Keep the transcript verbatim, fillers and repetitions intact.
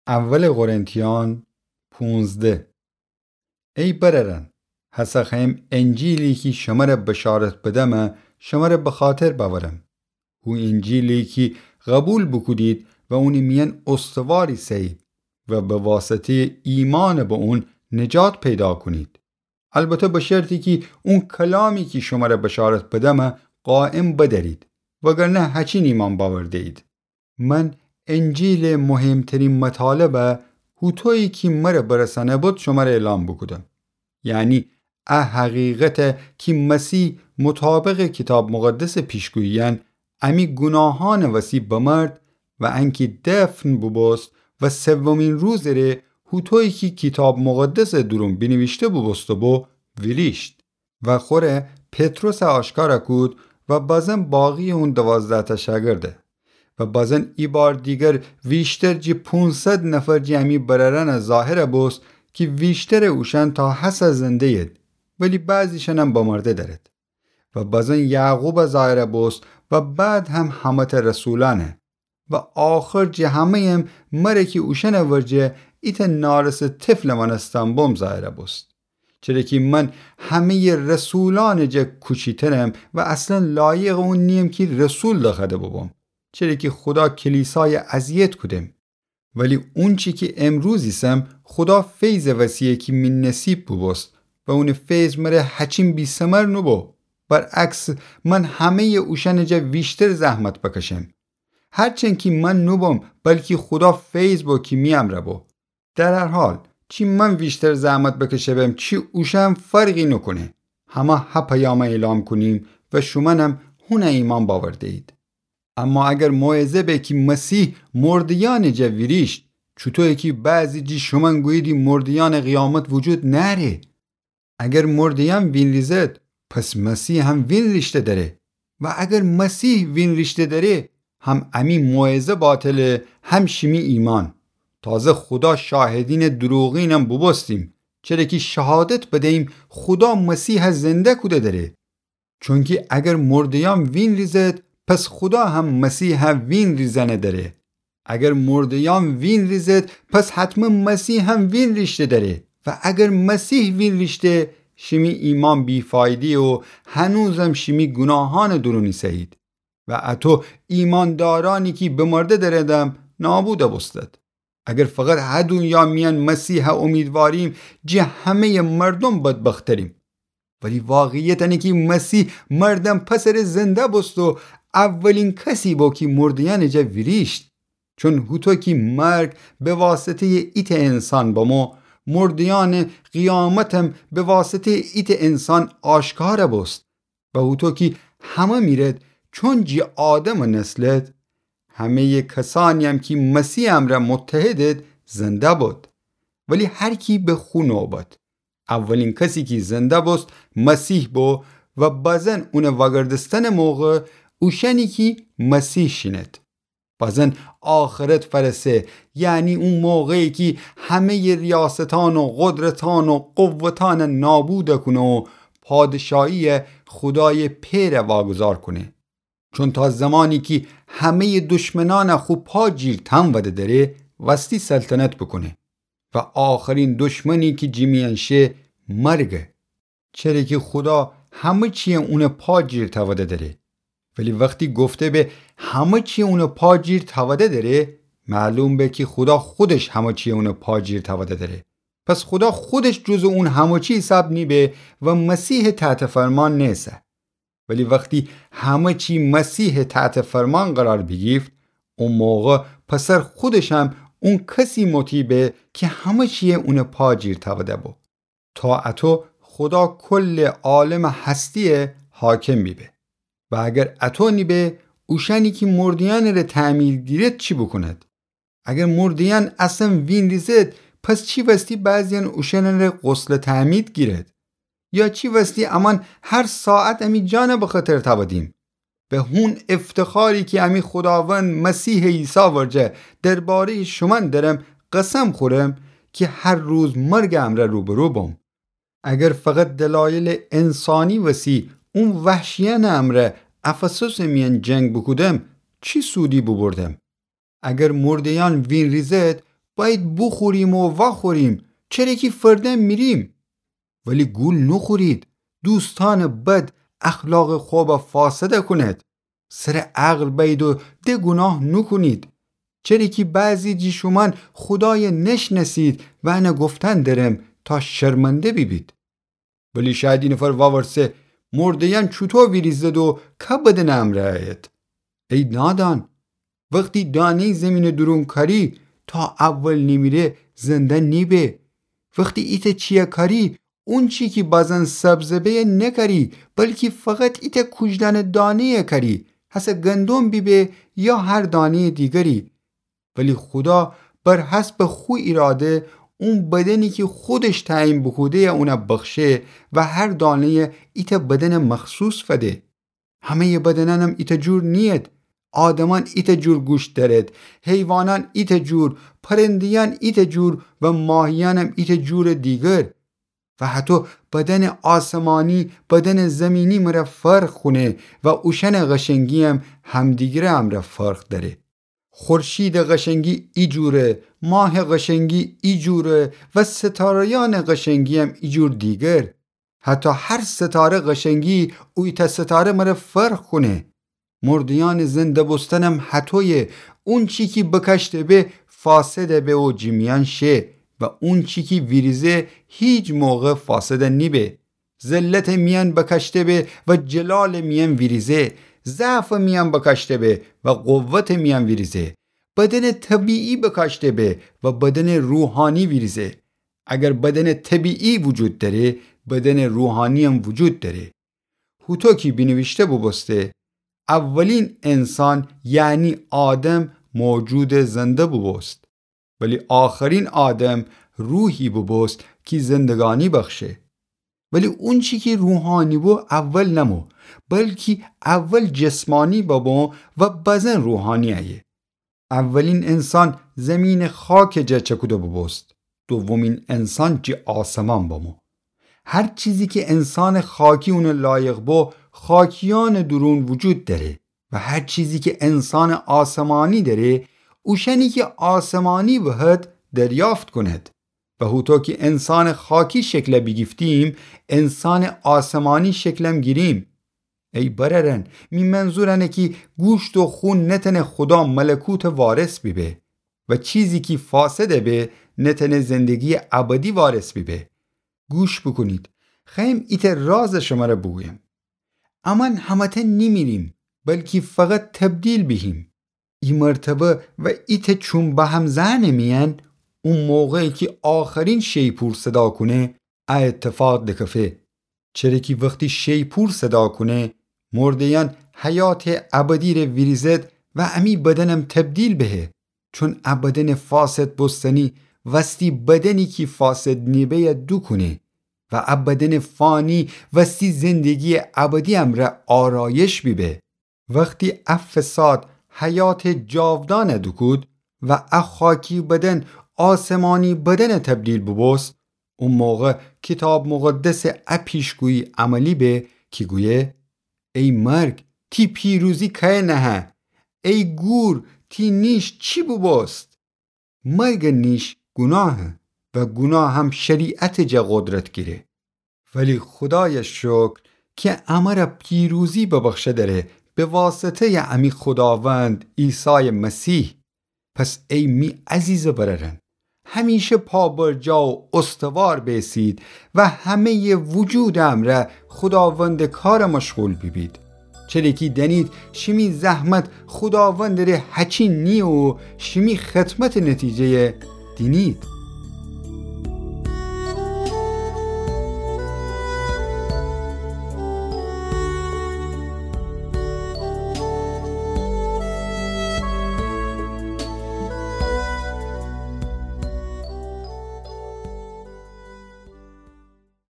اول قرنتیان پونزده. ای برأرأن، هسه خوأیم انجیلی کی شمره بشارت بدمه، شمره بخاطر بأورم. هو انجیلی کی قبول بوکودید و اونٚ میأن استوار ایسه‌یید و به واسطه‌یٚ ایمأن به اون نجات پیدا کونید. البته به شرطی کی اون کلامی کی شمره بشارت بدمه قایم بدأرید، وگرنه هچین ایمأن بأورده‌یید. من انجیلٚ مهمترین مطالبه هوطویی کی مره برسأنه بد شمره اعلام بوکودم. یعنی ا حقیقته کی مسیح مطابقٚ کیتاب مقدسٚ پیشگوییأن امی گوناهأنٚ وسی بمرد و انکی دفن بوبوست و سومین روزٚ ره هوطویی کی کیتاب مقدسٚ دورون بینیویشته بوبوسته بو، ویریشت. و خوره پطرسه آشکارا کود و بازن باقی‌یٚ اون دوازده‌تأ شاگرده. و بازن ایبار دیگر ویشتر جی پونصد نفر جی امی برأرأنه ظاهرا بوست کی ویشترٚ اوشأن تا هسه زنده‌ید، ولی بعضی‌شأنم بمرده دأرد. و بازن یعقوبه ظاهرا بوست و بعد هم همه‌تأ رسولأنه. و آخر جه همه‌یم مره کی اوشأنٚ ورجه ایتأ نارسٚ طفلٚ مأنستن بوم ظاهرا بوست. چره کی من همه‌یٚ رسولأنٚ جا کوچیترم و اصلاً لایقٚ اون نییم کی رسول دخوأده بوبوم. چره کی خودا کلیسای اذیت کودم. ولی اونچی کی امروز ایسم خودا فیضٚ وسی‌یه کی می نصیب بوبوست و اونٚ فیض مره هچین بی‌ثمر نوبو. برعکس، من همه‌یٚ اوشأنٚ جا ویشتر زحمت بکشم. هرچند کی من نوبوم، بلکی خودا فیض بو کی می امرأ بو. در هر حال، چی من ویشتر زحمت بکشه‌بم، چی اوشأن فرقی نوکونه. همه ه پیامه اعلام کونیم و شومأنم هونه ایمأن بأورده‌یید. اما اگر موعظه به کی مسیح مرده‌یأنٚ جا ویریشت، چوطویی کی بعضی جی شومأن گوییدی مرده‌یأنٚ قیامت وجود نأره؟ اگر مرده‌یأن وینریزد، پس مسیح هم وینریشته دأره. و اگر مسیح وینریشته دأره، هم امی موعظه باطله، هم شیمی ایمأن. تازه خودا شاهدینٚ دروغینم بوبوستیم، چره کی شهادت بدییم خودا مسیح زنده کوده دأره. چونکی اگر مرده‌یأن وینریزد، پس خودا هم مسیح وینریزأنه دأره. اگر مرده‌یأن وینریزد، پس حتماً مسیح هم وینریشته دأره. و اگر مسیح وینریشته، شیمی ایمأن بی‌فایده‌یه و هنوزم شیمی گوناهأنٚ دورون ایسه‌یید. و اطو ایمأندارأنی کی بمرده دأردم، نابودا بوستد. اگر فقط ه دونیا میأن مسیح اومیدواریم، جه همه‌یٚ مردوم بدبختریم. ولی واقعیت انه کی مسیح مردن پسٚ ره زنده بوست و اولین کسی بو کی مرده‌یأنٚ جا ویریشت. چون هوطو کی مرگ به واسطه‌یٚ ایتأ انسان بمو، مرده‌یأنٚ قیامتم به واسطه‌یٚ ایتأ انسان آشکار بوست. و هوطو کی همه میرد، چون جی آدمٚ نسلد، همه‌یٚ کسأنی‌یم کی مسیح امرأ متحدد، زنده بد. ولی هر کی به خو نوبت. اولین کسی کی زنده بوست، مسیح بو و بزن اونٚ وأگردستنٚ موقع اوشأنی کی مسیح شینید. بزن آخرت فأرسه، یعنی او موقعی کی همه‌یٚ ریاستأن و قدرتأن و قوتأن نابود کونه و پادشاهی‌یٚ خودایٚ پئر واگذار کونه. چون تا زمانی کی همه‌یٚ دشمنأن خو پا جیر تأوده دأره، وستی سلطنت بوکونه. و آخرین دشمنی کی جی میأن شه، مرگه. چره کی خودا همه چی‌یه اونٚ پا جیر تأوده دأره. ولی وختی گفته به همه چی‌یه اونٚ پا جیر تأوده دأره، معلوم به کی خودا خودش همه چی‌یه اونٚ پا جیر تأوده دأره. پس خودا خودش جزو اون همه چی حساب نیبه و مسیحٚ تحت فرمان نیسه. ولی وختی همه چی مسیحٚ تحت فرمان قرار بیگیفت، او موقع پسر خودشم اون کسی مطیع به کی همه چی‌یه اونٚ پا جیر تأوده بو. تا اطو خودا کلٚ عالمٚ هستی‌یه حاکم بیبه. و اگر اطو نیبه، اوشأنی کی مرده‌یأنٚ ره تعمید گیرد چی بوکوند؟ اگر مرده‌یأن اصلاً وینریزد، پس چی وستی بعضی‌یأن اوشأنٚ ره غسلٚ تعمید گیرد؟ یا چی وستی امأن هر ساعت امی جانٚ بخطر تأودیم؟ به هون افتخاری کی امی خوداوند مسیحٚ عیسی ورجه درباره‌یٚ شومأن دأرم، قسم خورم کی هر روز مرگٚ امرأ روبرو بوم. اگر فقط دلایلٚ انسانی وسی اون وحشیأنٚ امرأ افسسٚ میأن جنگ بوکودم، چی سودی بوبردم؟ اگر مرده‌یأن وینریزد، بأید بوخوریم و وأخوریم، چره کی فردن میریم. ولی گول نوخورید، دوستأنٚ بد اخلاقٚ خوبَ فاسد کونید. سرٚ عقل بأید و د گوناه نوکونید. چره کی بعضی جٚه شومأن خودایَ نشنأسید و انَ گفتن درم تا شرمنده بیبید. ولی شاید اینفر وورسه، مرده‌یأن چوطو ویریزد و کی بدنٚ امرأ أیید؟ ای نادان، وختی دانه‌یٚ زیمینٚ دورون کأری، تا اول نیمیره زنده نیبه. وختی ایتأ چیَ کأری، اونچی کی بازن سبزَ بهَ نکأری، بلکی فقط ایتأ کوژدانه دانه‌یَ کأری، هسه گندم بیبه یا هر دانه‌یٚ دیگری. ولی خودا بر حسبٚ خو ایراده اون بدنی کی خودش تعیین بوکوده‌یَ اونَ بخشه و هر دانه‌یَ ایتأ بدنٚ مخصوص فده. همه‌یٚ بدنأنم ایتأ جور نیید. آدمأن ایتأ جور گوشت دأرید، حیوانأن ایتأ جور، پرنده‌یأن ایتأ جور و ماهیأنم ایتأ جورٚ دیگر. و هطو بدنٚ آسمانی بدنٚ زیمینی مره فرق کونه و اوشأنٚ قشنگی‌یم همدیگرٚ امرأ فرق دأره. خورشیدٚ قشنگی ایجوره، ماهٚ قشنگی ایجوره و ستاره‌یأنٚ قشنگی‌یم ایجور دیگر. هطو هر ستاره قشنگی او ایتأ ستاره مره فرق کونه. مرده‌یأنٚ زنده بوستنم هطویه، اونچی کی بکاشته به فاسد به و جٚه میأن شه و اونچی کی ویریزه هیچ موقع فاسد نیبه. ذلتٚ میأن بکاشته به و جلالٚ میأن ویریزه، ضعفٚ میأن بکاشته به و قوتٚ میأن ویریزه. بدنٚ طبیعی بکاشته به و بدنٚ روحانی ویریزه. اگر بدنٚ طبیعی وجود دأره، بدنٚ روحانی‌یم وجود دأره. هوطو کی بینیویشته بوبوسته، اولین انسان یعنی آدم موجودٚ زنده بوبوست، ولی آخرین آدم روحی بوبوست کی زندگانی بخشه. ولی اونچی کی روحانی بو اول نمو، بلکی اول جسمانی بمو و بزن روحانی أیه. اولین انسان زیمینٚ خاکٚ جا چکوده بوبوست، دومین انسان جٚه آسمان بمو. هر چیزی کی انسانٚ خاکی اونٚ لایق بو، خاکیأنٚ دورون وجود دأره و هر چیزی کی انسانٚ آسمانی دأره، اوشأنی کی آسمانی بهد دریافت کونید. و هوطو کی انسانٚ خاکی شکل بیگیفتیم، انسانٚ آسمانی شکلم گیریم. ای برأرأن، می منظور انه کی گوشت و خون نتأنه خودا ملکوتٚ وارث بیبه و چیزی کی فاسد به نتأنه زندگیٚ ابدی وارث بیبه. گوش بوکونید، خوأیم ایتأ رازٚ شمره بوگویم. امأن همه‌تأن نیمیریم، بلکی فقط تبدیل بیهیم. ای مرتبه و ایتأ چوم بهم زأنٚ میأن، او موقعی کی آخرین شیپور صدا کونه، ا اتفاق دکفه. چره کی وختی شیپور صدا کونه، مرده‌یأن حیاتٚ ابدی ره ویریزد و امی بدنم تبدیل بهه. چون ا بدنٚ فاسد بوستنی وستی بدنی کی فاسد نیبه‌یَ دوکونه و ا بدنٚ فانی وستی زندگیٚ ابدی امرأ آرایش بیبه. وختی ا فساد حیاتٚ جاودانَ دوکود و ا خاکی بدن آسمانی بدنَ تبدیل بوبوست، او موقع کیتاب مقدسٚ ا پیشگویی عملی به کی گویه: ای مرگ، تی پیروزی کأیه نهه؟ ای گور، تی نیش چی بوبوست؟ مرگٚ نیش گوناهه و گوناه هم شریعتٚ جا قدرت گیره. ولی خودایَ شکر کی امرَ پیروزی ببخشه دره به واسطه‌یٚ امی خوداوند عیسایٚ مسیح. پس ای می عزیزٚ برأرأن، همیشه پابرجا و استوار بیسید و همه‌یٚ وجودٚ امرأ خوداوندٚ کارَ مشغول بیبید. چره کی دأنید شیمی زحمت خوداوندٚ ره هچین نییه و شیمی خدمتٚ نتیجه‌یَ دینید.